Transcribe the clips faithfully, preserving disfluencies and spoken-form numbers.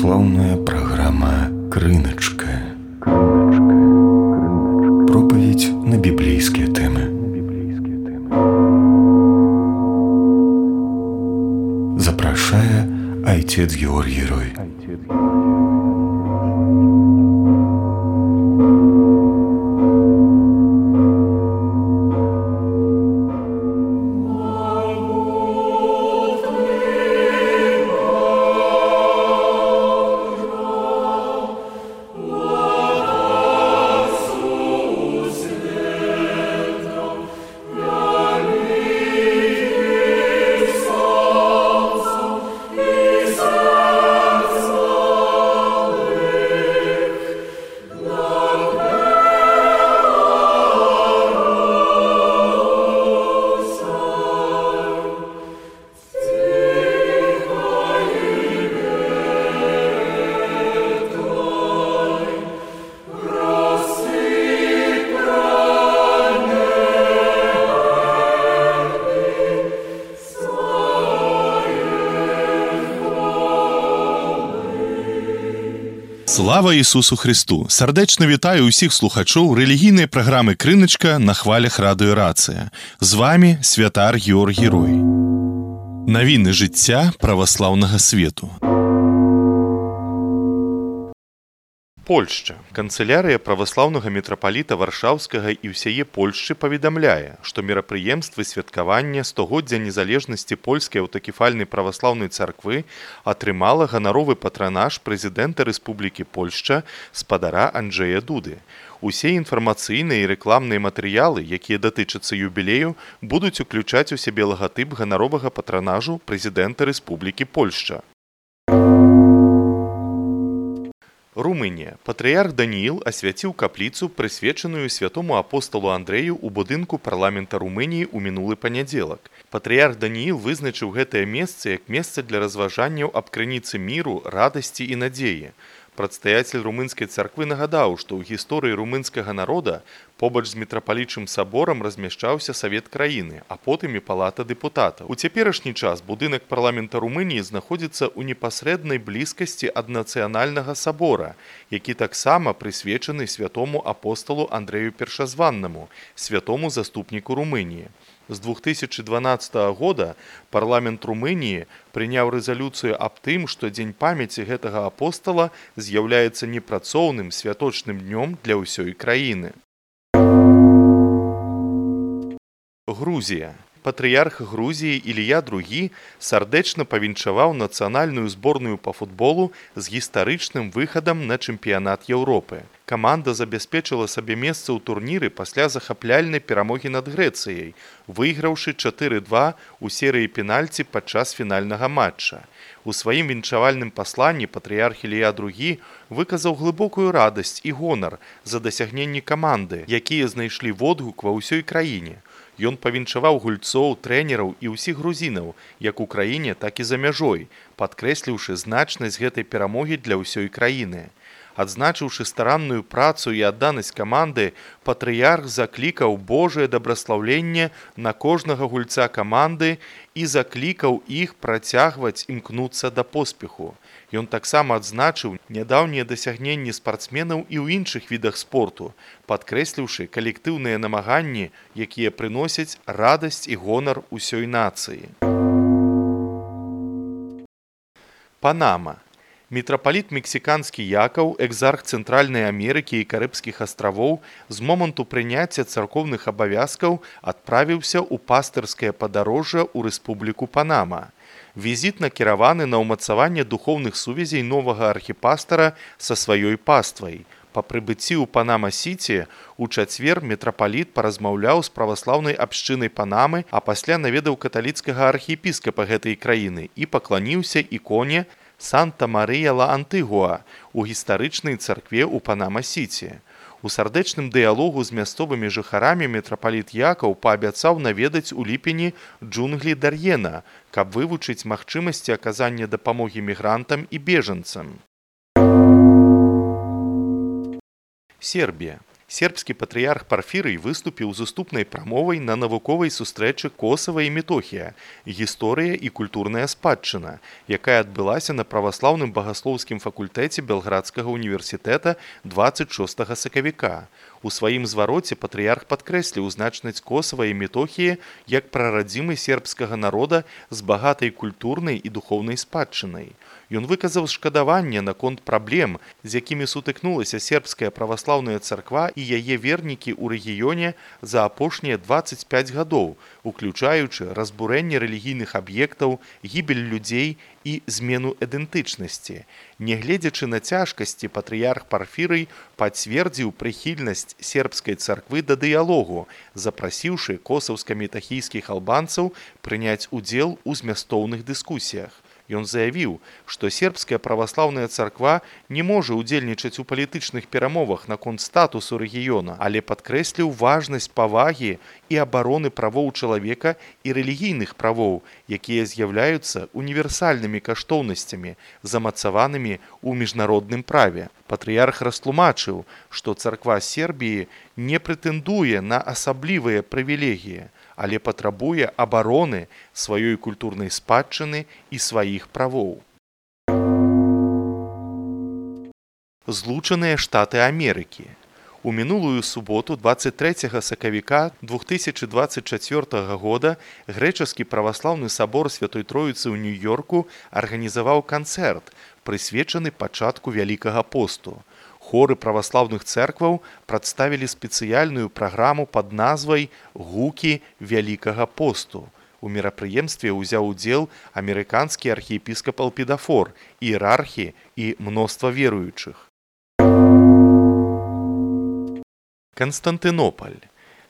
Православная программа «Крыночка». Проповедь на библейские темы. Запрашае отец Георгий Рой. Слава Ісусу Христу! Сардэчна вітаю ўсіх слухачоў рэлігійнай праграмы «Крыначка» на хвалях радыё Рацыя. З вамі святар Георгій Рой. Навіны жыцця праваслаўнага свету. Польшча. Канцылярыя праваслаўнага мітрапаліта Варшаўскага і ўсяе Польшчы паведамляе, што мерапрыемствы святкавання стагоддзя незалежнасці польскай аўтакефальнай праваслаўнай царквы атрымала ганаровы патранаж прэзідэнта Рэспублікі Польшча спадара Анджэя Дуды. Усе інфармацыйныя і рэкламныя матэрыялы, якія датычацца юбілею, будуць уключаць у сябе лагатып ганаровага патранажу прэзідэнта Рэспублікі Польшча. Румынія. Патрыярх Данііл асвяціў капліцу, прысвечаную святому апосталу Андрэю ў будынку парламента Румыніі ў мінулы панядзелак. Патрыярх Данііл вызначыў гэтае месца як месца для разважанняў аб крыніцы міру, радасці і надзеі. Прадстаяцель румынскай царквы нагадаў, што ў гісторыі румынскага народа побач з мітрапалічым саборам размяшчаўся савет краіны, а потым і палата дэпутатаў. У цяперашні час будынак парламента Румыніі знаходзіцца ў непасрэднай блізкасці ад нацыянальнага сабора, які таксама прысвечаны святому апосталу Андрэю Першазваннаму, святому заступніку Румыніі. З двух тысячы дванаццатага года парламент Румыніі прыняў рэзалюцыю аб тым, што дзень памяці гэтага апостала з'яўляецца непрацоўным святочным днём для ўсёй краіны. Грузія. Патрыярх Грузіі Ілія другі сардэчна павіншаваў нацыянальную зборную па футболу з гістарычным выхадам на чэмпіянат Еўропы. Каманда забяспечыла сабе месца ў турніры пасля захапляльнай перамогі над Грэцыяй, выйграўшы чатыры два у серыі пенальці падчас фінальнага матча. У сваім віншавальным пасланні патрыярх Ілія другі выказаў глыбокую радасць і гонар за дасягненні каманды, якія знайшлі водгук ва ўсёй краіне. Ён павіншаваў гульцоў, трэнераў і ўсіх грузінаў, як у краіне, так і за мяжой, падкрэсліўшы значнасць гэтай перамогі для ўсёй краіны. Адзначыўшы старанную працу і адданасць каманды, патрыярх заклікаў Божае дабраслаўленне на кожнага гульца каманды і заклікаў іх працягваць імкнуцца да поспеху. Ён таксама адзначыў нядаўнія дасягненні спартсменаў і ў іншых відах спорту, падкрэсліўшы калектыўныя намаганні, якія прыносяць радасць і гонар усёй нацыі. Панама. Мітрапаліт мексіканскі Якаў, экзарх Цэнтральнай Амерыкі і Карыбскіх астравоў, з моманту прыняцця царкоўных абавязкаў адправіўся ў пастырскае падарожжа ў Рэспубліку Панама. Візіт накіраваны на ўмацаванне духоўных сувязей новага архіпастара са сваёй паствай. Па прыбыцці ў Панама-Сіці у чацвер мітрапаліт паразмаўляў з праваслаўнай абшчынай Панамы, а пасля наведаў каталіцкага архіепіскапа гэтай краіны і пакланіўся іконе Санта-Марыя-ла-Антыгуа у гістарычнай царкве ў Панама-Сіці. У сардэчным дыялогу з мясцовымі жыхарамі мітрапаліт Якаў паабяцаў наведаць у ліпені джунглі Дар'ена, каб вывучыць магчымасці аказання дапамогі мігрантам і бежанцам. Сербія. Сербскі патрыярх Парфірый выступіў з уступнай прамовай на навуковай сустрэчы Косава і Метохія «Гісторыя і культурная спадчына», якая адбылася на праваслаўным багаслоўскім факультэце Белградскага універсітэта дваццаць шостага сакавіка. У сваім звароце патрыярх падкрэсліў значнасць Косава і Метохіі як прарадзімы сербскага народа з багатай культурнай і духоўнай спадчынай. Ён выказаў шкадаванне наконт праблем, з якімі сутыкнулася сербская праваслаўная царква і яе вернікі ў рэгіёне за апошнія дваццаць пяць гадоў, уключаючы разбурэнне рэлігійных аб'ектаў, гібель людзей і змену ідэнтычнасці. Нягледзячы на цяжкасці, патрыярх Парфірый пацвердзіў прыхільнасць сербскай царквы да дыялогу, запрасіўшы косаўска-метахійскіх албанцаў прыняць удзел у змястоўных дыскусіях. Ён заявіў, што сербская праваслаўная царква не можа ўдзельнічаць у палітычных перамовах наконт статусу рэгіёна, але падкрэсліў важнасць павагі і абароны правоў чалавека і рэлігійных правоў, якія з'яўляюцца універсальнымі каштоўнасцямі, замацаванымі ў міжнародным праве. Патрыярх растлумачыў, што царква Сербіі не прэтэндуе на асаблівыя прывілегіі, але патрабуе абароны сваёй культурнай спадчыны і сваіх правоў. Злучаныя Штаты Амерыкі. У мінулую суботу дваццаць трэцяга сакавіка две тысячы дваццаць чацвёртага года грэчаскі праваслаўны сабор Святой Троіцы ў Нью-Йорку арганізаваў канцэрт, прысвечаны пачатку Вялікага посту. Хоры праваслаўных цэркваў прадставілі спецыяльную праграму пад назвай «Гукі Вялікага посту». У мерапрыемстве ўзяў удзел амерыканскі архіепіскап Элпідафор, іерархі і мноства веруючых. Канстантынополь.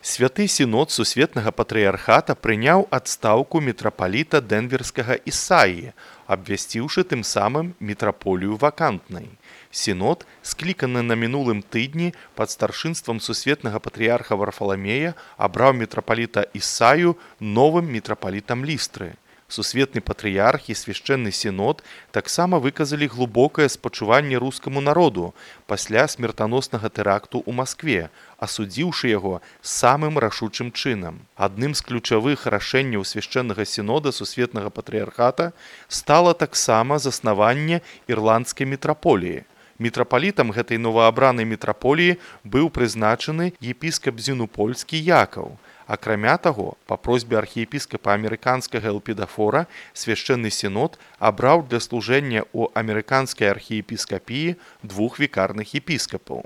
Святы сінод сусветнага патрыярхата прыняў адстаўку мітрапаліта дэнверскага Ісаіі, абвясціўшы тым самым мітраполію вакантнай. Сінод, скліканы на мінулым тыдні пад старшынствам сусветнага патрыярха Варфаламея, абраў мітрапаліта Ісаю новым мітрапалітам Лістры. Сусветны патрыярх і свяшчэнны сінод таксама выказалі глыбокае спачуванне рускаму народу пасля смертаноснага тэракту ў Маскве, асудзіўшы яго самым рашучым чынам. Адным з ключавых рашэнняў свяшчэннага сінода сусветнага патрыярхата стала таксама заснаванне ірландскай мітраполіі. Мітрапалітам гэтай новаабранай мітраполіі быў прызначаны епіскап Зінупольскі Якаў. Акрамя таго, па просьбе архіепіскапа амерыканскага Элпідафора, свяшчэнны сінод абраў для служэння ў амерыканскай архіепіскапіі двух вікарных епіскапаў.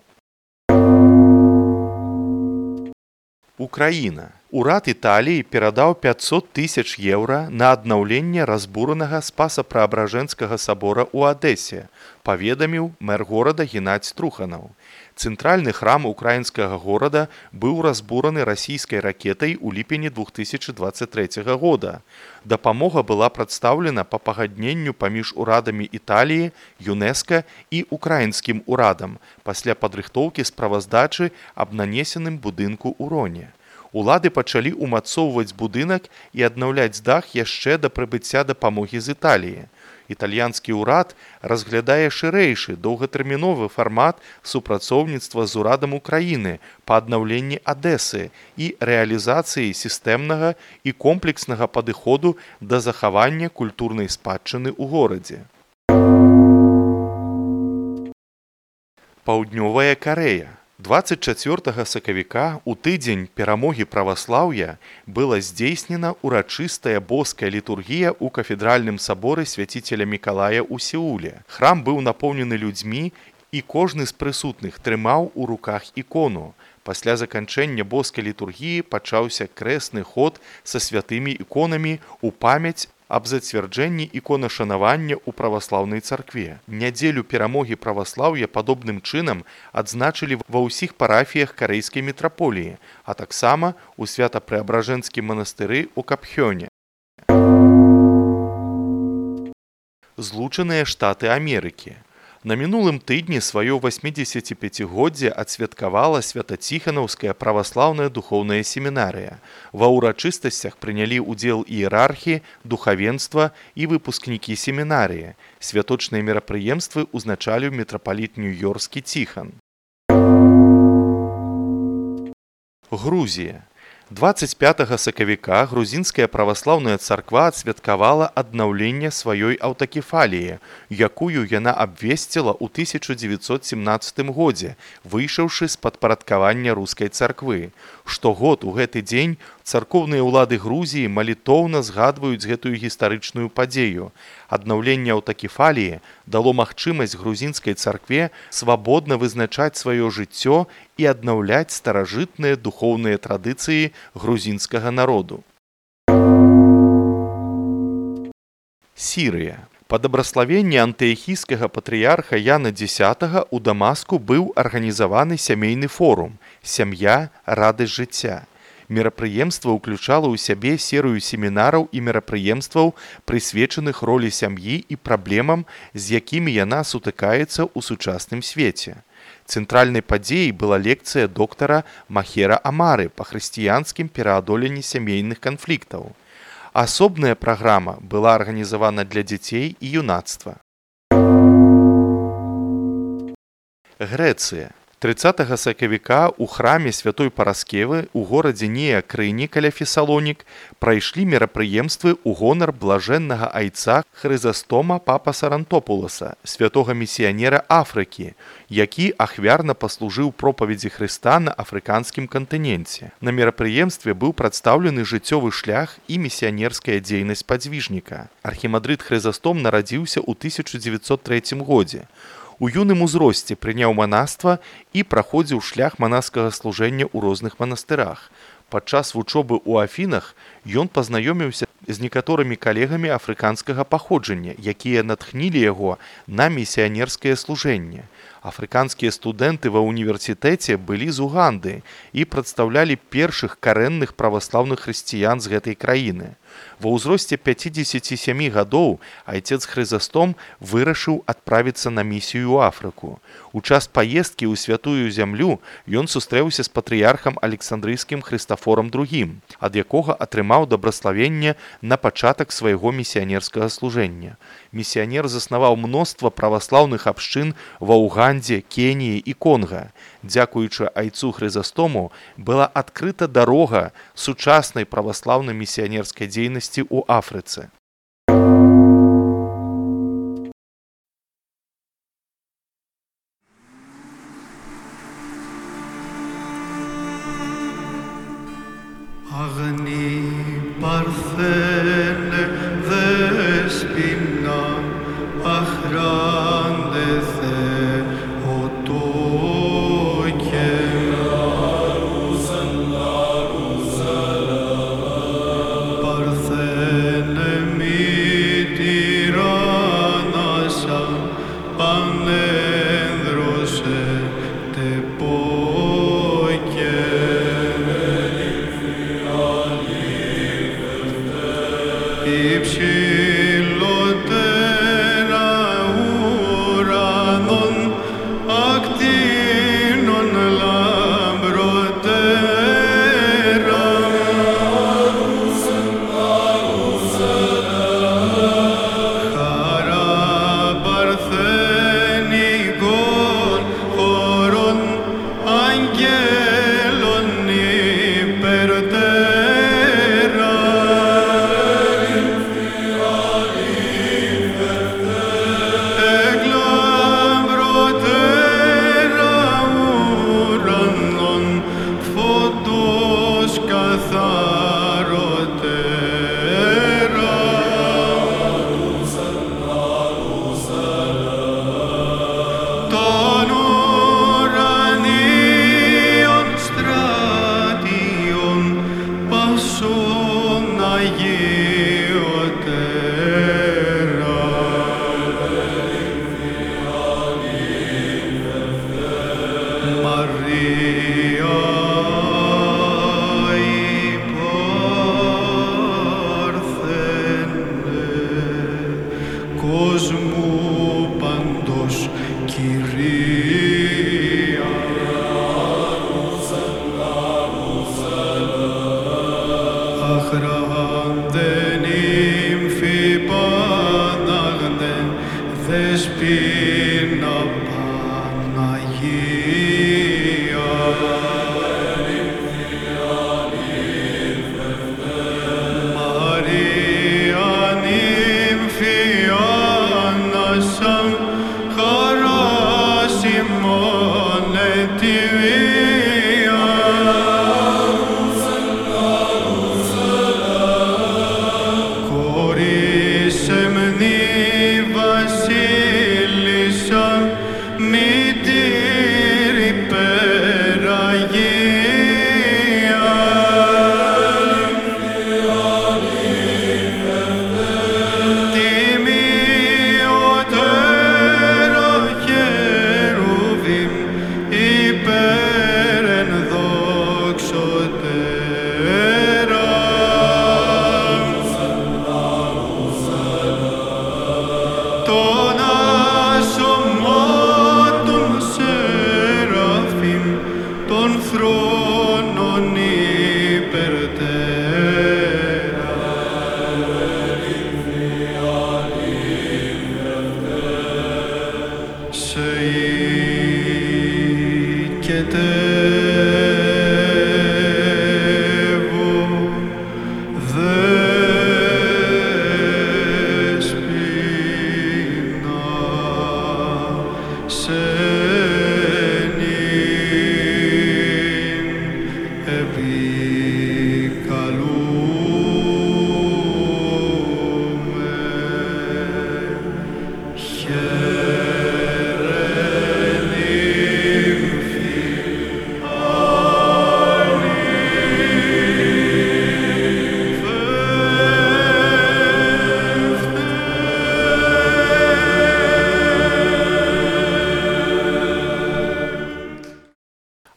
Украіна. Урад Італіі перадаў пяцьсот тысяч еўра на аднаўленне разбуранага Спаса-Праабражэнскага сабора ў Адэсе, паведаміў мэр горада Геннадзь Труханаў. Цэнтральны храм украінскага горада быў разбураны расійскай ракетай у ліпені две тысячы дваццаць трэцяга года. Дапамога была прадстаўлена па пагадненню паміж урадамі Італіі, ЮНЕСКА і украінскім урадам пасля падрыхтоўкі справаздачы аб нанесеным будынку ў Роне. Улады пачалі ўмацоўваць будынак і аднаўляць дах яшчэ да прыбыцця дапамогі з Італіі. Італьянскі ўрад разглядае шырэйшы доўгатэрміновы фармат супрацоўніцтва з урадам Украіны па аднаўленні Адэсы і рэалізацыі сістэмнага і комплекснага падыходу да захавання культурнай спадчыны ў горадзе. Паўднёвая Карэя. дваццаць чацвёртага сакавіка у тыдзень перамогі праваслаўя была здзейснена урачыстая боская літургія ў кафедральным саборы свяціцеля Мікалая ў Сеуле. Храм быў напоўнены людзьмі, і кожны з прысутных трымаў у руках ікону. Пасля заканчэння боскай літургіі пачаўся крэсны ход са святымі іконамі ў памяць аб зацвярджэнні іконашанавання ў праваслаўнай царкве. Нядзелю перамогі праваслаўя падобным чынам адзначылі ва ўсіх парафіях карэйскай мітраполіі, а таксама ў свята-преабражэнскім манастыры ў Капхёне. Злучаныя Штаты Амерыкі. На мінулым тыдні сваё васьмідзесяціпяцігоддзе адсвяткавала Свята-Ціханаўская праваслаўная духоўная семінарыя. Ва ўрачыстасцях прынялі ўдзел іерархі, духавенства і выпускнікі семінарыі. Святочныя мерапрыемствы ўзначаліў мітрапаліт Нью-Йорскі Ціхан. Грузія. дваццаць пятага сакавіка грузінская праваслаўная царква адсвяткавала аднаўленне сваёй аўтакефаліі, якую яна абвесціла ў тысяча дзевяцьсот семнаццатым годзе, выйшаўшы з падпарадкавання рускай царквы. Штогод у гэты дзень царкоўныя ўлады Грузіі малітоўна згадваюць гэтую гістарычную падзею. Аднаўленне аўтакефаліі дало магчымасць грузінскай царкве свабодна вызначаць сваё жыццё і аднаўляць старажытныя духоўныя традыцыі грузінскага народу. Сірыя. Па дабраславенні антыахійскага патрыярха Яна Дзесятага ў Дамаску быў арганізаваны сямейны форум «Сям'я, радасць жыцця». Мерапрыемства ўключала ў сябе серыю семінараў і мерапрыемстваў, прысвечаных ролі сям'і і праблемам, з якімі яна сутыкаецца ў сучасным свеце. Цэнтральнай падзеяй была лекцыя доктара Махера Амары па хрысціянскім пераадоленні сямейных канфліктаў. Асобная праграма была арганізавана для дзяцей і юнацтва. Грэцыя. трыццатага сакавіка ў храме святой Параскевы ў горадзе Неакрыні каля Фесалонік прайшлі мерапрыемствы ў гонар блажэннага айца Хрызастома папа Сарантопуласа, святога місіянера Афрыкі, які ахвярна паслужыў пропаведзі Хрыста на афрыканскім кантыненце. На мерапрыемстве быў прадстаўлены жыццёвы шлях і місіянерская дзейнасць падзвіжніка. Архімандрыт Хрызастом нарадзіўся ў тысяча дзевяцьсот трэцім годзе. У юным узросце прыняў манаства і праходзіў шлях манаскага служэння ў розных манастырах. Падчас вучобы ў Афінах ён пазнаёміўся з некаторымі калегамі афрыканскага паходжання, якія натхнілі яго на місіянерскае служэнне. Афрыканскія студэнты ва ўніверсітэце былі з Уганды і прадстаўлялі першых карэнных праваслаўных хрысціян з гэтай краіны. Ва ўзросце пяцідзесяці сямі гадоў айцец Хрызастом вырашыў адправіцца на місію ў Афрыку. У час паездкі ў святую зямлю ён сустрэўся з патрыярхам Александрыйскім Хрыстафорам другім, ад якога атрымаў дабраславенне на пачатак свайго місіянерскага служэння. Місіянер заснаваў мноства праваслаўных абшчын ва Угандзе, Кеніі і Конга. Дзякуючы айцу Хрызастому была адкрыта дарога сучаснай праваслаўнай місіянерскай дзейнасці ў Афрыцы.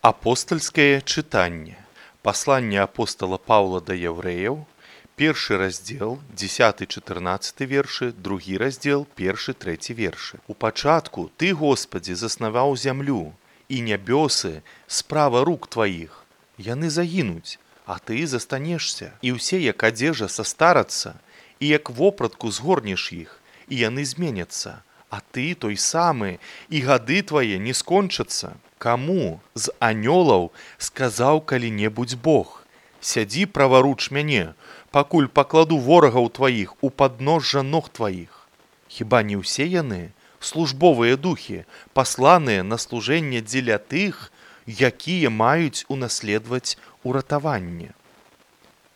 Апостальскае чытанне. Пасланне апостала Паўла да яўрэяў, першы раздзел, дзесяты-чатырнаццаты вершы, другі раздзел, першы-трэці вершы. У пачатку ты, Господзі, заснаваў зямлю, і нябёсы справа рук тваіх. Яны загінуць, а ты застанешся, і ўсе, як адзежа, састарацца, і як вопратку згорнеш іх, і яны зменяцца, а ты той самы, і гады твае не скончацца. Каму з анёлаў сказаў калі-небудзь Бог: сядзі праваруч мяне, пакуль пакладу ворагаў тваіх у падножжа ног тваіх? Хіба не ўсе яны службовыя духі, пасланыя на служэнне дзеля тых, якія маюць унаследаваць уратаванне?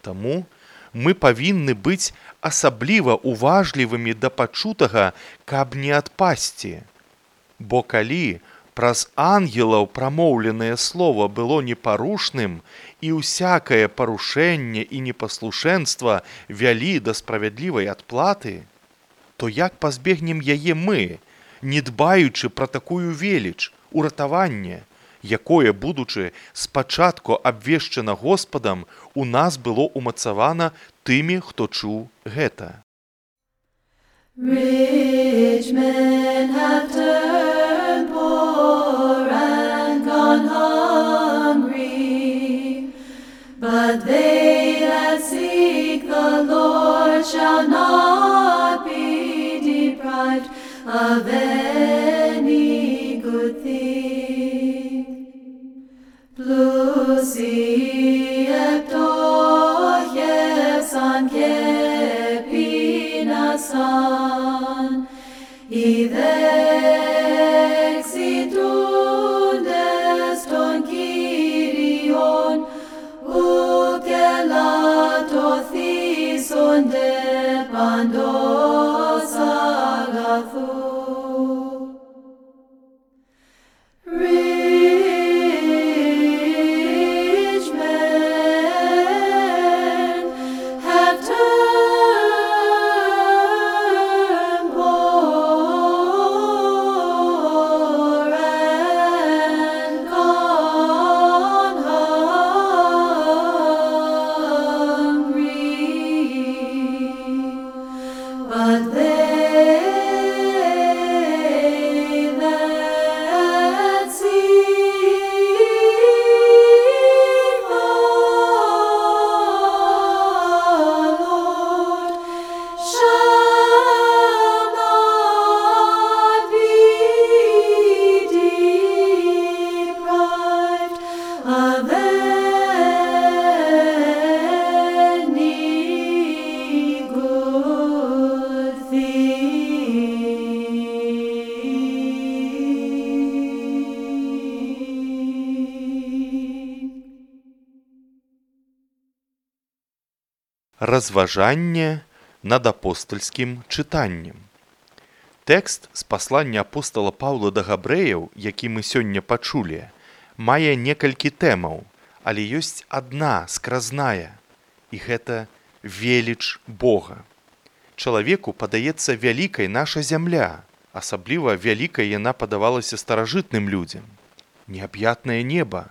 Таму мы павінны быць асабліва уважлівымі да пачутага, каб не адпасці. Бо калі праз ангелаў прамоўленае слова было непарушным, і ўсякае парушэнне і непаслушэнства вялі да справядлівай адплаты, то як пазбегнем яе мы, не дбаючы пра такую веліч, уратаванне, якое, будучы спачатку абвешчана Господам, у нас было умацавана тымі, хто чуў гэта. Rich men have turned poor and gone hungry, but they that seek the Lord shall not be deprived of any good thing. Plusi eptochefsan kepinasan, idexidundes ton Kyrion, ukelatothison de pandos agathou. Rich men have turned poor and gone hungry, but they that seek the Lord shall not be deprived of any good thing. Разважанне над апостальскім чытаннем. Тэкст з паслання апостала Паўла да габрэяў, які мы сёння пачулі, мае некалькі тэмаў, але ёсць адна скразная, і гэта веліч Бога. Чалавеку падаецца вялікай наша зямля, асабліва вялікай яна падавалася старажытным людзям. Неаб'ятнае неба.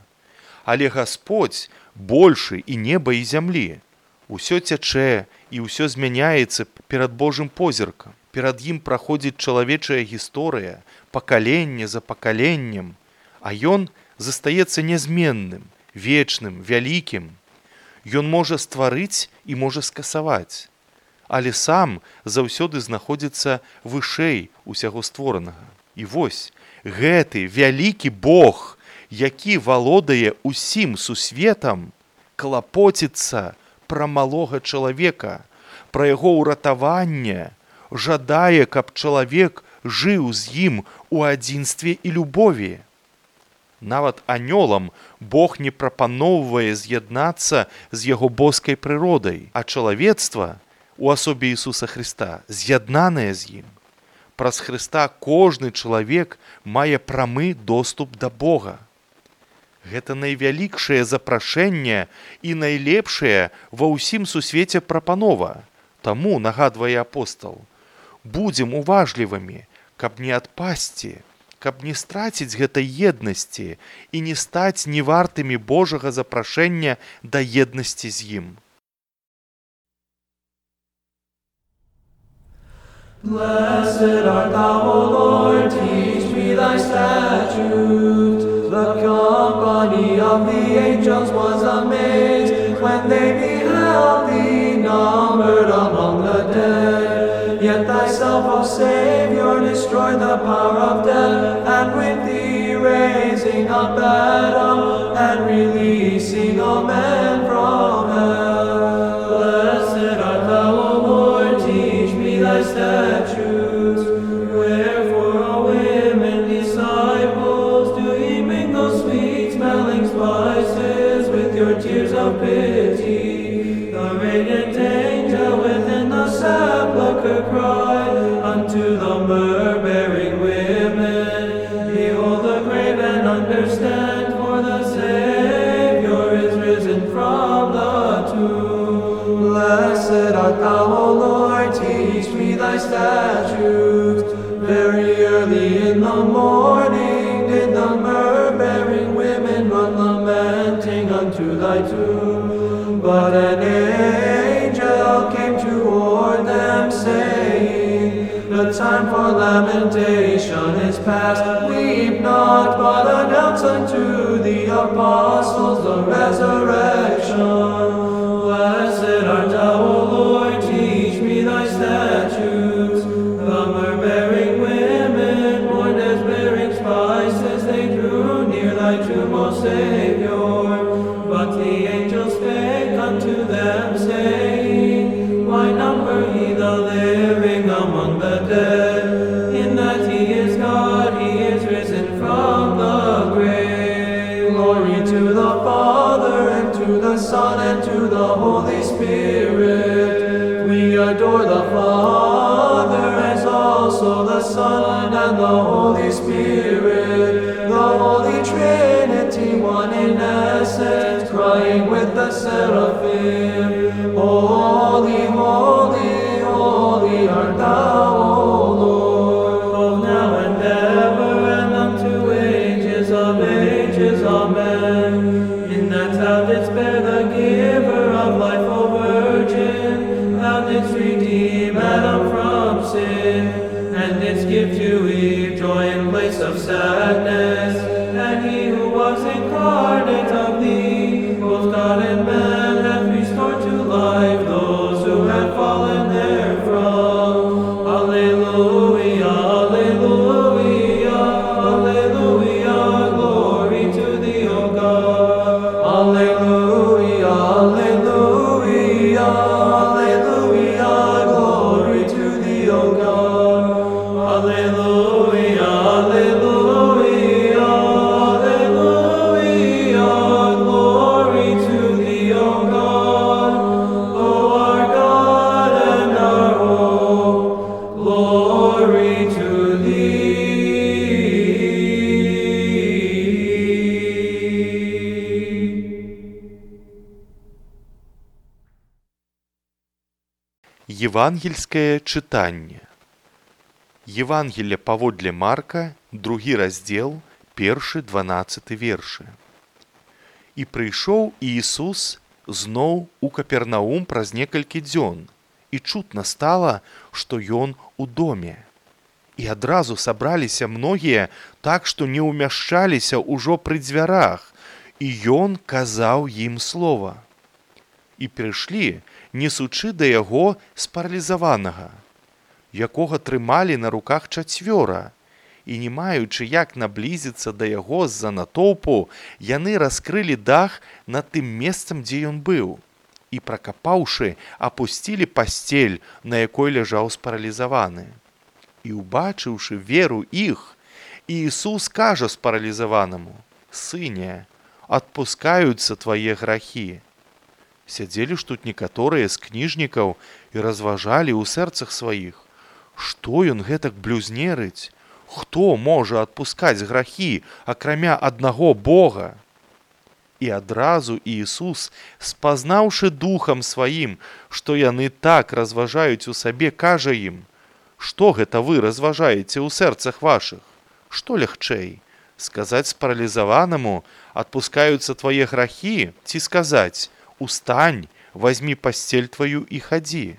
Але Гасподзь большы і неба, і зямлі. Усё цячэ і ўсё змяняецца перад Божым позіркам. Перад ім праходзіць чалавечая гісторыя, пакаленне за пакаленнем, а ён застаецца нязменным, вечным, вялікім. Ён можа стварыць і можа скасаваць, але сам заўсёды знаходзіцца вышэй усяго створанага. І вось гэты вялікі Бог, які валодае усім сусветам, клапоціцца пра малога чалавека, пра яго ўратаванне, жадае, каб чалавек жыў з ім у адзінстве і любові. Нават анёлам Бог не прапаноўвае з'яднацца з яго боскай прыродай, а чалавецтва у асобе Ісуса Хрыста з'яднанае з ім. Праз Хрыста кожны чалавек мае прамы доступ да Бога. Гэта найвялікшае запрашэнне і найлепшае ва ўсім сусвеце прапанова. Таму, нагадвае апостал, будзем уважлівымі, каб не адпасці, каб не страціць гэтай еднасці і не стаць невартымі Божага запрашэння да еднасці з ім. Blessed art thou, O Lord, teach me thy statutes. The company of the angels was amazed when they beheld thee numbered among the dead. Yet thyself, O Savior, destroyed the power of death, and with thee raising up Adam and releasing all men from hell. Blessed art thou, O Lord, teach me thy statutes. Wherefore, O women disciples, do ye mingle sweet-smelling spices with your tears of pity? The radiant angel within the sepulchre cried unto the myrrh-bearing women, behold the grave and understand, for the Savior is risen from the tomb. Blessed art thou, O Lord, teach me thy statutes. Very early in the morning did the myrrh-bearing women run lamenting unto thy tomb. But an angel came toward them, saying, the time for lamentation is past. Weep not, but announce unto the apostles the resurrection. Blessed art thou, O Lord, teach me thy statutes. The myrrh-bearing women mourned as bearing spices, they drew near thy tomb, O Savior. But the angel spake unto them, saying, why number ye the living among the dead? In that he is God, he is risen from the grave. Glory to the Father, and to the Son, and to the Holy Spirit. We adore the Father, as also the Son, and the Holy Spirit. The Holy Trinity, one in essence, crying with the seraphim, holy, holy, holy art thou, O Lord, both now and ever, and unto ages of ages. Amen. In that thou didst bear the giver of life, O Virgin, thou didst redeem Adam from sin, and didst give to Eve joy in place of sadness. And he who was incarnate of thee, both God and man, hath restored to life those who had fallen therefrom. Alleluia, alleluia, alleluia, glory to thee, O God. Alleluia, alleluia, alleluia, glory to thee, O God. Alleluia, alleluia, alleluia, glory to thee, O God. O our God and our hope, glory to thee. Євангельське читання. Євангелія паводле Марка, другі раздзел, першы дванаццаты вершы. І прыйшоў Іісус зноў у Капернаум праз некалькі дзён, і чутна стала, што ён у доме. І адразу сабраліся многія так, што не ўмяшчаліся ўжо пры дзвярах, і ён казаў ім слова. І прыйшлі, несучы да яго спаралізаванага, якога трымалі на руках чацвёра, і не маючы як наблізіцца да яго з-за натоўпу, яны раскрылі дах над тым месцам, дзе ён быў, і, пракапаўшы, апусцілі пасцель, на якой ляжаў спаралізаваны. І, убачыўшы веру іх, Іісус кажа спаралізаванаму: «Сыне, адпускаюцца твае грахі». Сядзелі ж тут некаторыя з кніжнікаў і разважалі ў сэрцах сваіх, Што ён гэтак блюзнерыць? Хто можа адпускаць грахі, акрамя аднаго Бога? І адразу Іісус, спазнаўшы духам сваім, што яны так разважаюць у сабе, кажа ім: «Што гэта вы разважаеце ў сэрцах вашых? Што лягчэй? Сказаць спаралізаванаму: адпускаюцца твае грахі, ці сказаць: устань, вазьмі пасцель тваю і хадзі?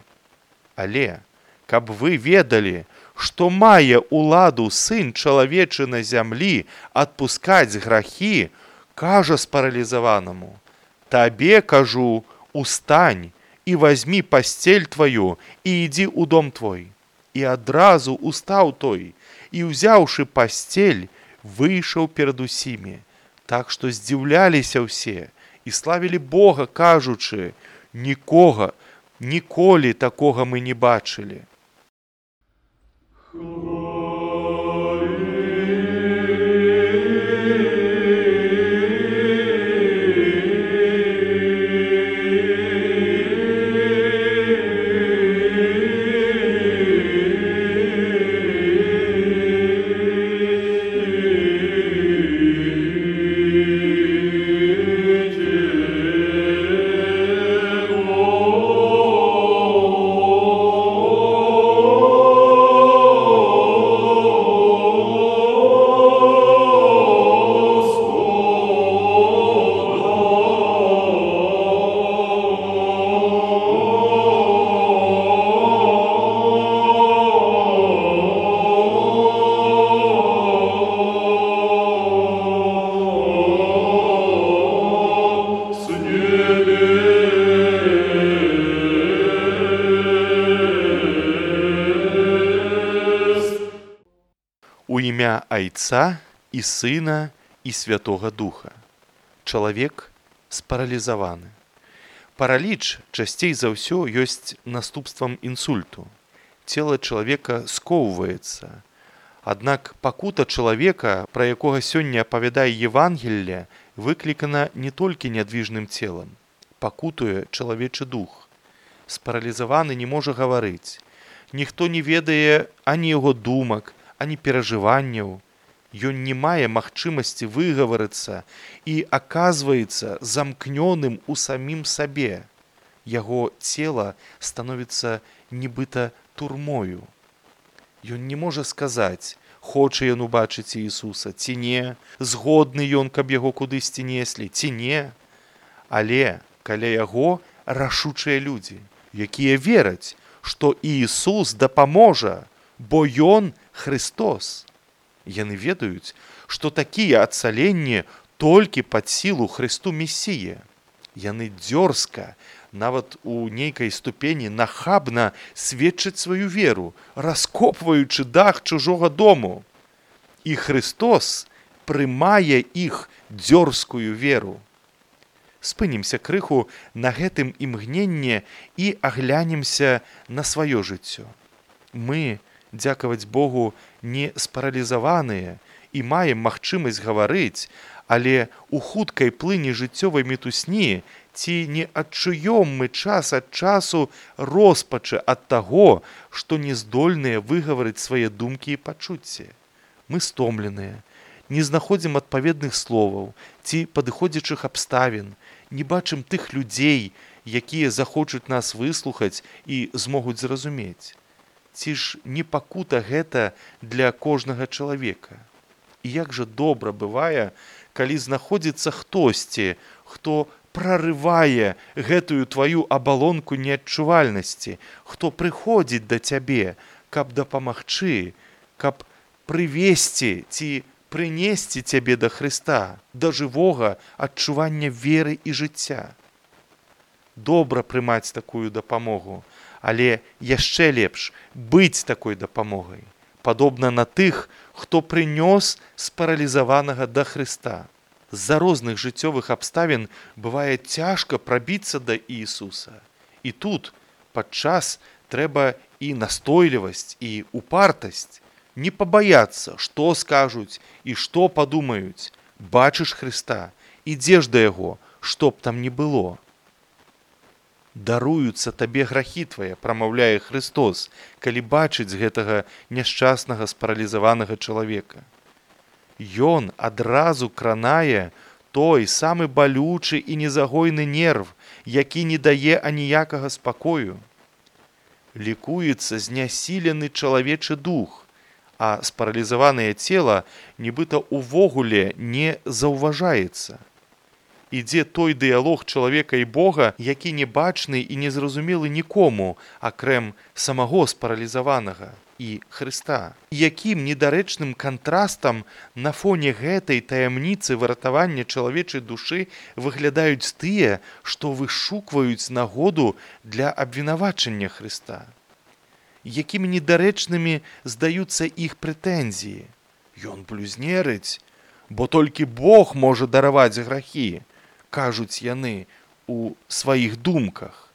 Але, каб вы ведалі, што мае ўладу Сын чалавечы на зямлі адпускаць грахі, кажа спаралізаванаму: табе, кажу, устань і вазьмі пасцель тваю і ідзі ў дом твой. І адразу устаў той, і, узяўшы пасцель, выйшаў перад усімі, так што здзіўляліся ўсе і славілі Бога, кажучы: нікога, ніколі такога мы не бачылі. У імя Айца і Сына і Святога Духа. Чалавек спаралізаваны. Параліч часцей за ўсё ёсць наступствам інсульту. Цела чалавека скоўваецца. Аднак пакута чалавека, пра якога сёння апавядае Евангелле, выклікана не толькі нядвіжным целам. Пакутуе чалавечы дух. Спаралізаваны не можа гаварыць. Ніхто не ведае ані яго думак, ані перажыванняў. Ён не мае магчымасці выгаварыцца і аказваецца замкнёным у самім сабе. Яго цела становіцца нібыта турмою. Ён не можа сказаць, хоча ён убачыць Іісуса ці не, згодны ён, каб яго кудысьці неслі ці не. Але каля яго рашучыя людзі, якія вераць, што Іісус дапаможа, бо ён Христос. Яны ведаюць, што такія ацаленні толькі пад сілу Христу Месія. Яны дзёрзка, нават у нейкай ступені нахабна сведчаць сваю веру, раскопваючы дах чужога дому. І Христос прымае іх дзёрзкую веру. Спынімся крыху на гэтым імгненне і аглянемся на сваё жыццё. Мы, дзякаваць Богу, не спаралізаваныя і маем магчымасць гаварыць, але у хуткай плыні жыццёвай мітусні ці не адчуём мы час ад часу роспачы ад таго, што не здольныя выгаварыць свае думкі і пачуцці. Мы стомленыя, не знаходзім адпаведных словаў ці падыходзячых абставін, не бачым тых людзей, якія захочуць нас выслухаць і змогуць зразумець. Ці ж не пакута гэта для кожнага чалавека? І як жа добра бывае, калі знаходзіцца хтосьці, хто прарывае гэтую тваю абалонку неадчувальнасці, хто прыходзіць да цябе, каб дапамагчы, каб прывесці ці прынесці цябе да Хрыста, да жывога адчування веры і жыцця. Добра прымаць такую дапамогу, але яшчэ лепш быць такой дапамогай, падобна на тых, хто прынёс спаралізаванага да Хрыста. З-за розных жыццёвых абставін бывае цяжка прабіцца да Іісуса. І тут падчас трэба і настойлівасць, і упартасць. Не пабаяцца, што скажуць і што падумаюць. Бачыш Хрыста, ідзеш да яго, што б там ні было. Даруюцца табе грахі твае, прамаўляе Христос, калі бачыць гэтага няшчаснага спаралізаванага чалавека. Ён адразу кранае той самы балючы і незагойны нерв, які не дае аніякага спакою. Лікуецца знясілены чалавечы дух, а спаралізаванае цела нібыта ўвогуле не заўважаецца. Ідзе той дыялог чалавека і Бога, які не бачны і не зразумелы нікому, акрэм самаго спаралізаванага і Хрыста. Якім недарэчным кантрастам на фоне гэтай таямніцы выратавання чалавечай душы выглядаюць тыя, што вышукваюць нагоду для абвінавачання Хрыста. Якімі недарэчнымі здаюцца іх прэтэнзіі. Ён блюзнерыць, бо толькі Бог можа дараваць грахі, кажуць яны у сваіх думках.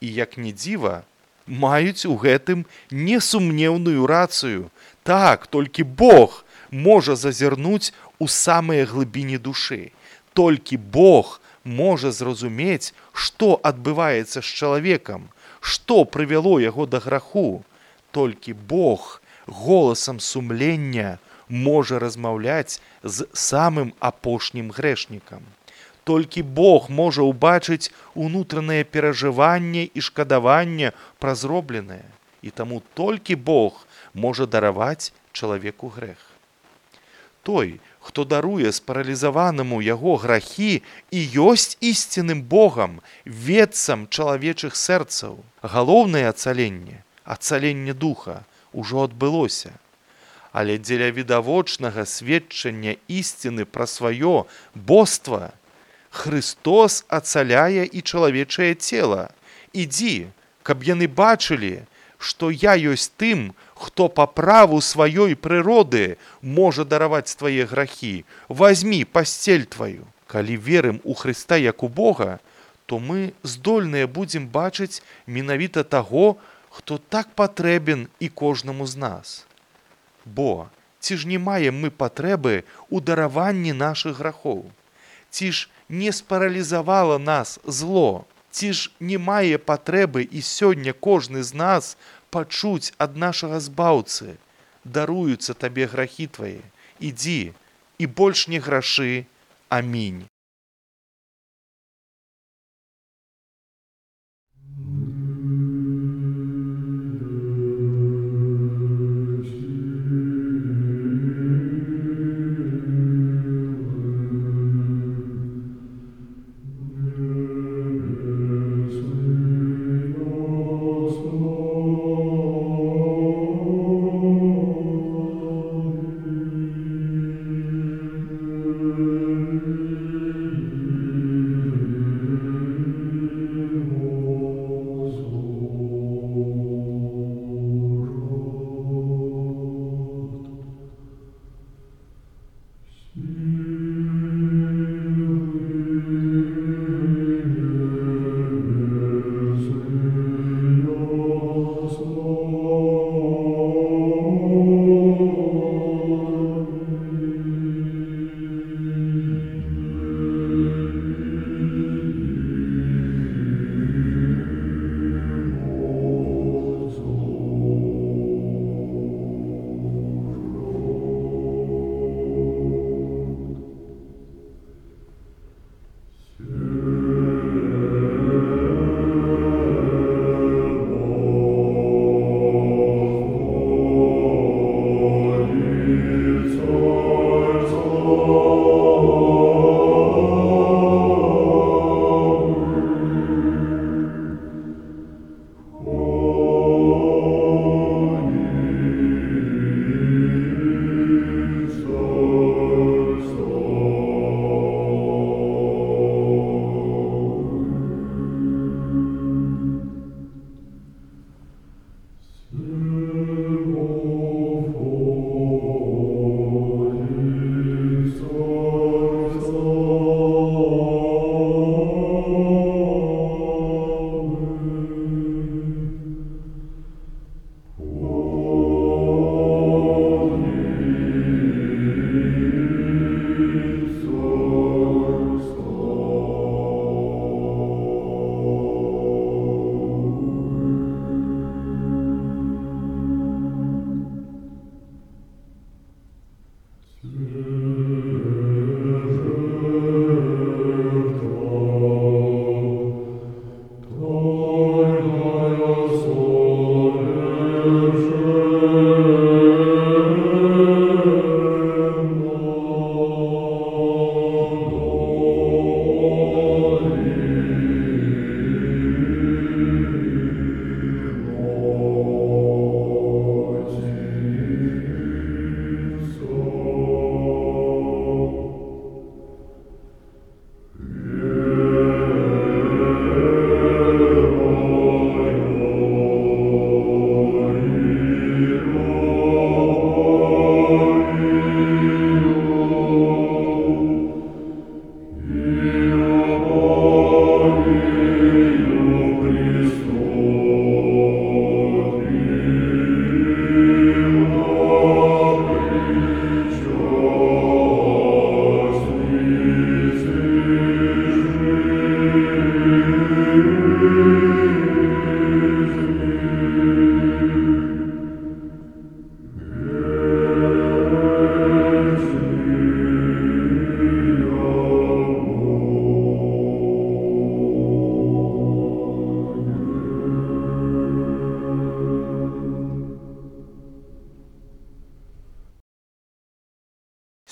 І як ні дзіва, маюць у гэтым несумнеўную рацыю. Так, толькі Бог можа зазірнуць у самыя глыбіні душы. Толькі Бог можа зразумець, што адбываецца з чалавекам, што прывяло яго да граху. Толькі Бог голасам сумлення можа размаўляць з самым апошнім грэшнікам. Толькі Бог можа ўбачыць унутранае перажыванне і шкадаванне пра зробленае. І таму толькі Бог можа дараваць чалавеку грэх. Той, хто даруе спаралізаванаму яго грахі, і ёсць ісцінным Богам, ведцам чалавечых сэрцаў. Галоўнае ацаленне, ацаленне духа, ужо адбылося. Але дзеля відавочнага сведчання ісціны пра сваё боства Христос ацаляе і чалавечае цела. Ідзі, каб яны бачылі, што я ёсць тым, хто па праву сваёй прыроды можа дараваць твае грахі. Вазьмі пасцель тваю. Калі верым у Хрыста як у Бога, то мы здольныя будзем бачыць менавіта таго, хто так патрэбен і кожнаму з нас. Бо ці ж не маем мы патрэбы ў дараванні нашых грахоў? Ці ж не спаралізавала нас зло? Ці ж не мае патрэбы і сёння кожны з нас пачуць ад нашага збаўцы: даруюцца табе грахі твае, ідзі і больш не грашы. Амінь.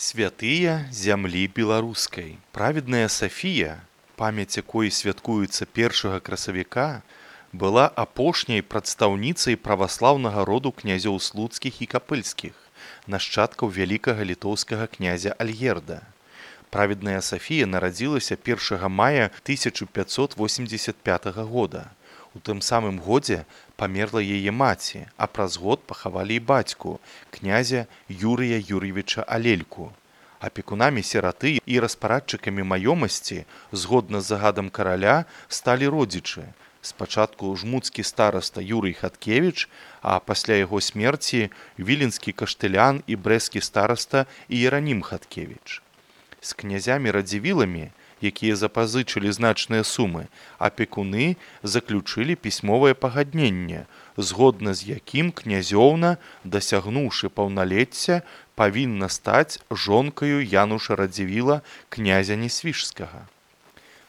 Святыя зямлі беларускай. Праведная Сафія, памяць якой святкуецца першага красавіка, была апошняй прадстаўніцай праваслаўнага роду князёў слуцкіх і капыльскіх, нашчадкаў вялікага літоўскага князя Альгерда. Праведная Сафія нарадзілася першага мая тысяча пятьсот восемьдесят пятага года. У тым самым годзе памерла яе маці, а праз год пахавалі і бацьку, князя Юрыя Юр'евіча Алельку. Апекунамі сіраты і распарадчыкамі маёмасці, згодна з загадам караля, сталі родзічы. Спачатку жмуцкі стараста Юрый Хаткевіч, а пасля яго смерці віленскі каштылян і брэсцкі стараста Іеранім Хаткевіч. З князямі-радзівіламі, якія запазычылі значныя сумы, апекуны заключылі пісьмовае пагадненне, згодна з якім князёўна, дасягнуўшы паўналецця, павінна стаць жонкаю Януша Радзівіла, князя Несвіжскага.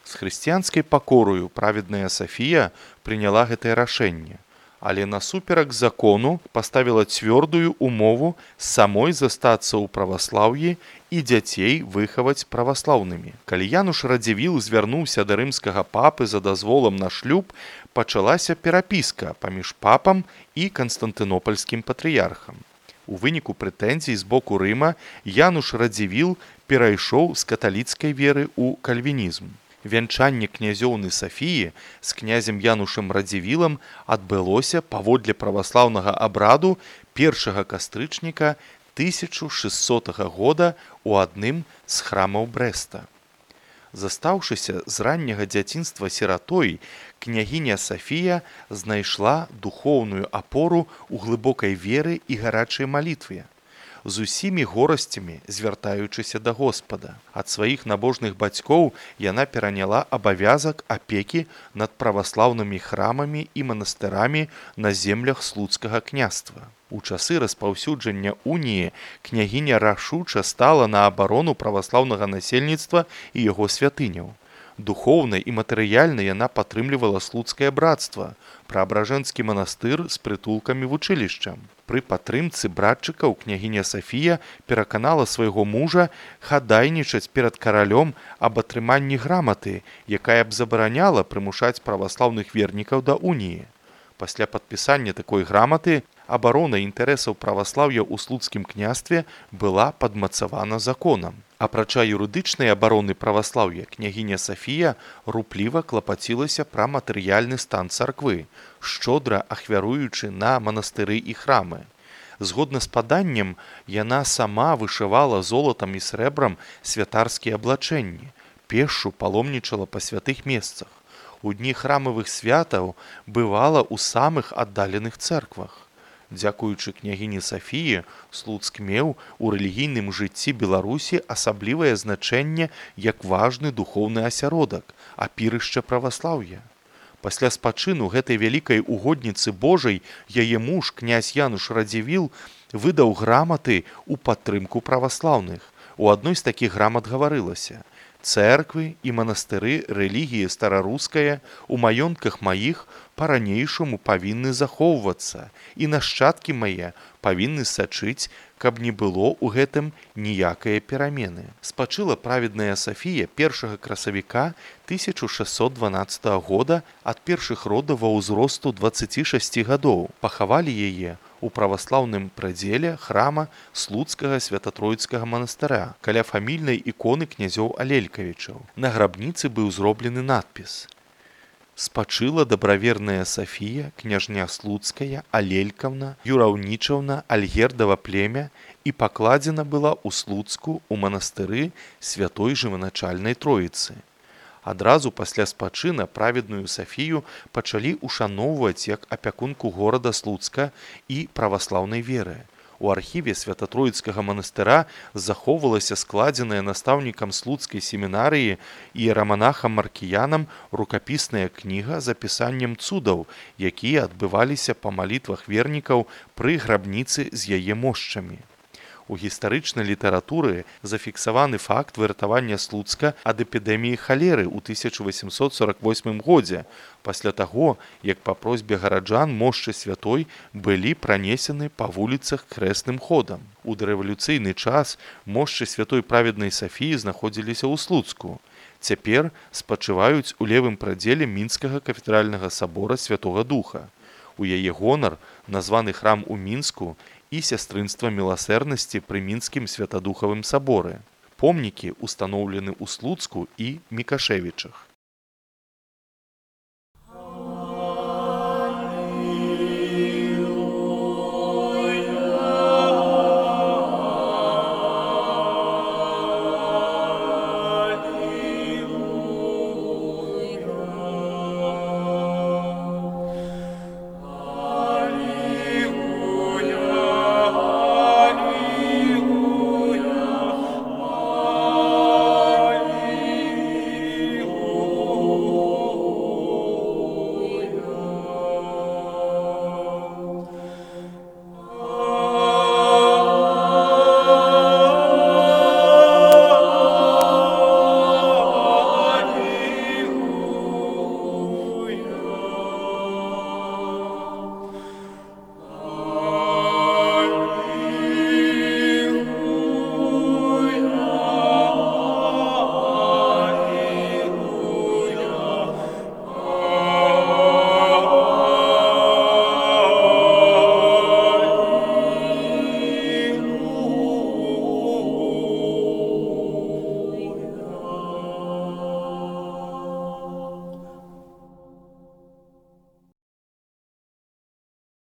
З хрысціянскай пакорою праведная Сафія прыняла гэтае рашэнне, але насуперак закону паставіла цвёрдую умову самой застацца ў праваслаўі і дзяцей выхаваць праваслаўнымі. Калі Януш Радзівіл звярнуўся да рымскага папы за дазволам на шлюб, пачалася перапіска паміж папам і канстантынопальскім патрыярхам. У выніку прэтэнзій з боку Рыма Януш Радзівіл перайшоў з каталіцкай веры ў кальвінізм. Вянчанне князёўны Сафіі з князем Янушам Радзівілам адбылося паводле праваслаўнага абраду першага кастрычніка тысяча шэсцотага года ў адным з храмаў Брэста. Застаўшыся з ранняга дзяцінства сіратой, княгіня Сафія знайшла духоўную апору ў глыбокай веры і гарачай малітве, з усімі горасцямі звяртаючыся да Господа. Ад сваіх набожных бацькоў яна пераняла абавязак апекі над праваслаўнымі храмамі і манастырамі на землях слуцкага княства. У часы распаўсюджання уніі княгіня рашуча стала на абарону праваслаўнага насельніцтва і яго святыняў. Духоўна і матэрыяльна яна падтрымлівала слуцкае брацтва, праабражэнскі манастыр з прытулкамі вучылішчам. Пры падтрымцы братчыкаў княгіня Сафія пераканала свайго мужа хадайнічаць перад каралём аб атрыманні граматы, якая б забараняла прымушаць праваслаўных вернікаў да уніі. Пасля падпісання такой граматы абарона інтарэсаў праваслаўя ў слуцкім княстве была падмацавана законам. Апрача юрыдычнай абароны праваслаўя, княгіня Сафія рупліва клапацілася пра матэрыяльны стан царквы, шчодра ахвяруючы на манастыры і храмы. Згодна з паданнем, яна сама вышывала золатам і срэбрам святарскія аблачэнні, пешшу паломнічала па святых месцах. У дні храмавых святаў бывала ў самых аддаленых цэрквах. Дзякуючы княгіні Сафіі, Слуцк меў у рэлігійным жыцці Беларусі асаблівае значэнне як важны духоўны асяродак, апірышча праваслаўя. Пасля спачыну гэтай вялікай угодніцы Божай яе муж, князь Януш Радзівіл, выдаў граматы ў падтрымку праваслаўных. У адной з такіх грамат гаварылася: «Цэрквы і манастыры рэлігіі стараруская у маёнтках маіх па-ранейшаму павінны захоўвацца, і нашчадкі мае павінны сачыць, каб не было ў гэтым ніякае перамены». Спачыла праведная Сафія першага красавіка тысяча шэсцьсот дванаццатага года ад першых родаў ва ўзросту дваццаці шасці гадоў. Пахавалі яе у праваслаўным прыдзеле храма Слуцкага свята-тройцкага манастыра каля фамільнай іконы князёў Алелькавічаў. На грабніцы быў зроблены надпіс: «Спачыла дабраверная Сафія, княжня Слуцкая, Алелькаўна, Юраўнічаўна, Альгердава племя, і пакладзена была ў Слуцку у манастыры святой жываначальнай Троіцы». Адразу пасля спачына праведную Сафію пачалі ушаноўваць як апякунку горада Слуцка і праваслаўнай веры. У архіве свята-троіцкага манастыра захоўвалася складзеная настаўнікам слуцкай семінарыі і раманахам Маркіянам рукапісная кніга з апісаннем цудаў, якія адбываліся па малітвах вернікаў пры грабніцы з яе мошчамі. У гістарычнай літаратуры зафіксаваны факт выратавання Слуцка ад эпідэміі халеры ў тысяча васемсот сорак восьмым годзе, пасля таго, як па просьбе гараджан мошчы святой былі пранесены па вуліцах хрэсным ходам. У дарэвалюцыйны час мошчы святой праведнай Сафіі знаходзіліся ў Слуцку. Цяпер спачываюць у левым прадзеле мінскага кафедральнага сабора Святога Духа. У яе гонар названы храм у Мінску і сястрынства міласэрнасці пры мінскім святадухавым саборы. Помнікі устаноўлены ў Слуцку і Мікашэвічах.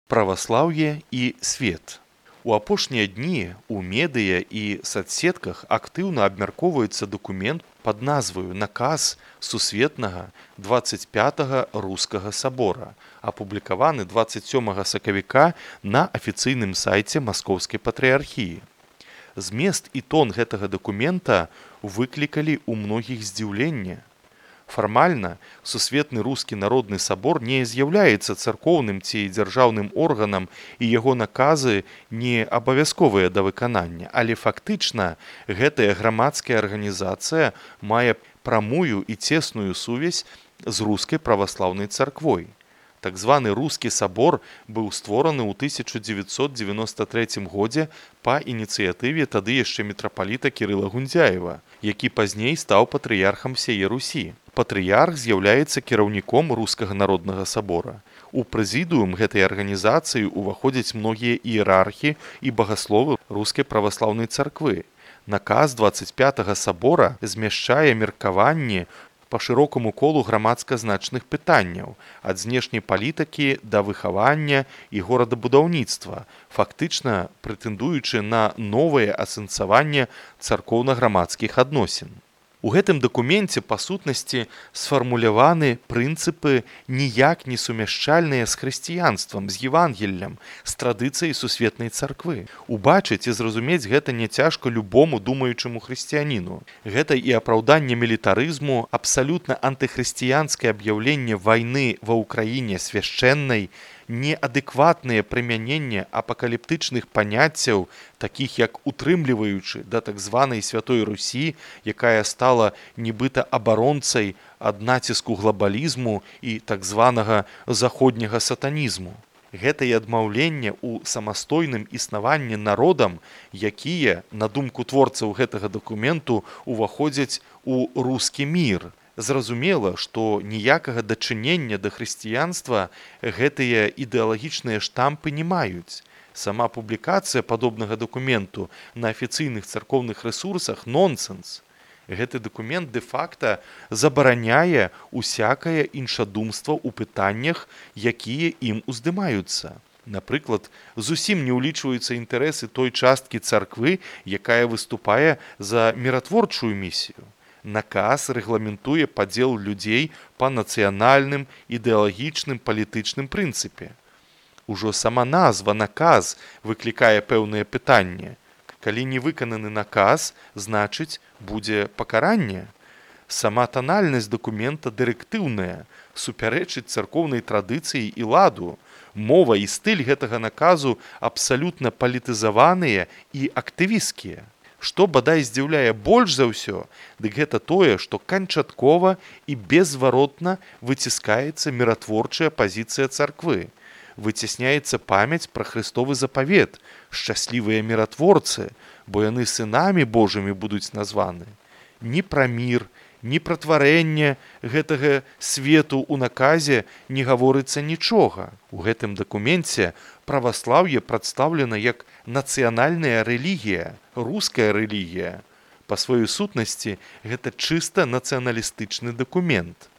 Праваслаўе і свет. У апошнія дні у медыя і садсетках актыўна абмяркоўваецца дакумент пад назваю «Наказ сусветнага дваццаць пятага рускага сабора», апублікаваны дваццаць сёмага сакавіка на афіцыйным сайце Маскоўскай патрыархіі. Змест і тон гэтага дакумента выклікалі ў многіх здзіўленне. Фармальна, Сусветны рускі народны сабор не з'яўляецца царкоўным ці дзяржаўным органам і яго наказы не абавязковыя да выканання, але фактычна гэтая грамадская арганізацыя мае прамую і цесную сувязь з рускай праваслаўнай царквой. Так званы рускі сабор быў створаны ў тысяча дзевяцьсот дзевяноста трэцім годзе па ініцыятыве тады яшчэ мітрапаліта Кірыла Гундзяева, які пазней стаў патрыярхам сяе Русі. Патрыярх з'яўляецца кіраўніком рускага народнага сабора. У прэзідыум гэтай арганізацыі ўваходзяць многія іерархі і багасловы рускай праваслаўнай царквы. Наказ дваццаць пятага сабора змяшчае меркаванні па шырокаму колу грамадска значных пытанняў, ад знешняй палітыкі да выхавання і горадабудаўніцтва, фактычна прэтэндуючы на новае асэнсаванне царкоўна-грамадскіх адносін. У гэтым дакуменце, па сутнасці, сфармуляваны прынцыпы ніяк не сумяшчальныя з хрысціянствам, з Евангеллем, з традыцыяй сусветнай царквы. Убачыць і зразумець гэта няцяжка любому думаючаму хрысціяніну. Гэта і апраўданне мілітарызму, абсалютна антыхрысціянскае аб'яўленне вайны ва ўкраіне свяшчэннай, неадэкватнае прымяненне апакаліптычных паняццяў, такіх як утрымліваючы да так званай Святой Русі, якая стала нібыта абаронцай ад націску глабалізму і так званага заходняга сатанізму. Гэта і адмаўленне ў самастойным існаванні народам, якія, на думку творцаў гэтага дакументу, уваходзяць у рускі мір. Зразумела, што ніякага дачынення да хрысціянства гэтыя ідэалагічныя штампы не маюць. Сама публікацыя падобнага дакументу на афіцыйных царкоўных рэсурсах нонсэнс. Гэты дакумент дэ-факта забараняе усякае іншадумства ў пытаннях, якія ім уздымаюцца. Напрыклад, зусім не ўлічваюцца інтарэсы той часткі царквы, якая выступае за міратворчую місію. Наказ рэгламентуе падзел людзей па нацыянальным, ідэалагічным, палітычным прынцыпе. Ужо сама назва «наказ» выклікае пэўнае пытанне. Калі не выкананы наказ, значыць, будзе пакаранне. Сама танальнасць дакумента дырэктыўная, супярэчыць царкоўнай традыцыі і ладу. Мова і стыль гэтага наказу абсалютна палітызаваныя і актывісцкія. Што бадай здзіўляе больш за ўсё, дык гэта тое, што канчаткова і беззваротна выціскаецца міратворчая пазіцыя царквы. Выцісняецца памяць пра Христовы запавет, шчаслівыя міратворцы, бо яны сынамі Божымі будуць названы. Ні пра мір, ні пра тварэнне гэтага свету ў наказе не гаворыцца нічога. У гэтым дакуменце праваслаўе прадстаўлена як нацыянальная рэлігія, руская рэлігія. Па сваёй сутнасці гэта чыста нацыяналістычны дакумент.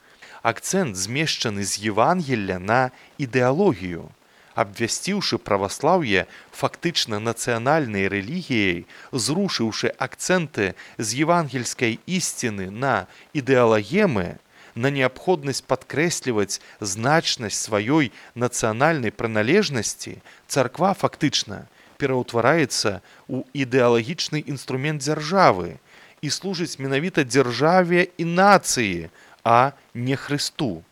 Акцэнт змешчаны з Евангелля на ідэалогію. Абвясціўшы праваслаўе фактычна нацыянальнай рэлігіяй, зрушыўшы акцэнты з евангельскай ісціны на ідэалагемы, на неабходнасць падкрэсліваць значнасць сваёй нацыянальнай прыналежнасці, царква фактычна пераўтвараецца ў ідэалагічны інструмент дзяржавы і служыць менавіта дзяржаве і нацыі, а не Хрысту.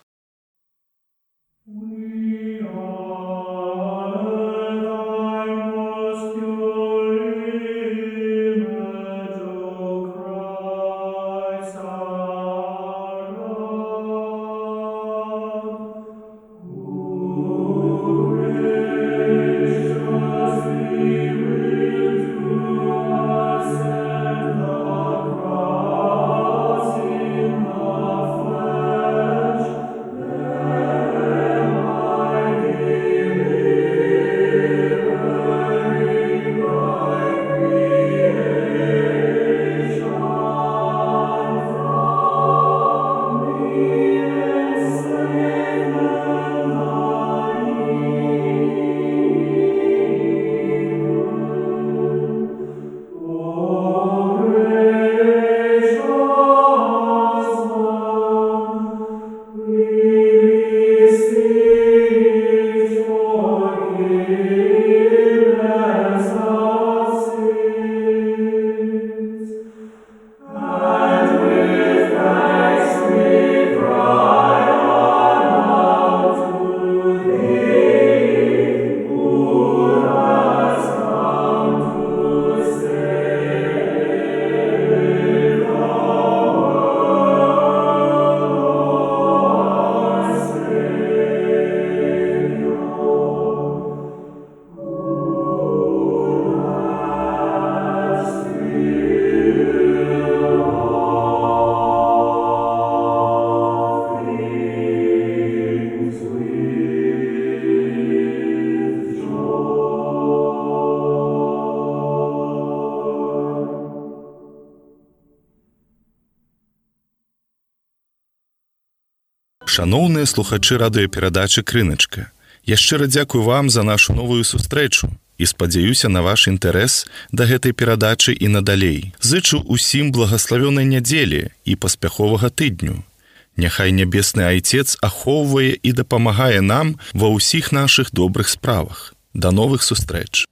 Шаноўныя слухачы радыёперадачы «Крыначка», я шчыра дзякую вам за нашу новую сустрэчу і спадзяюся на ваш інтарэс да гэтай перадачы і надалей. Зычу усім благаславёнай нядзелі і паспяховага тыдню. Няхай нябесны Айцец ахоўвае і дапамагае нам ва ўсіх нашых добрых справах. Да новых сустрэч!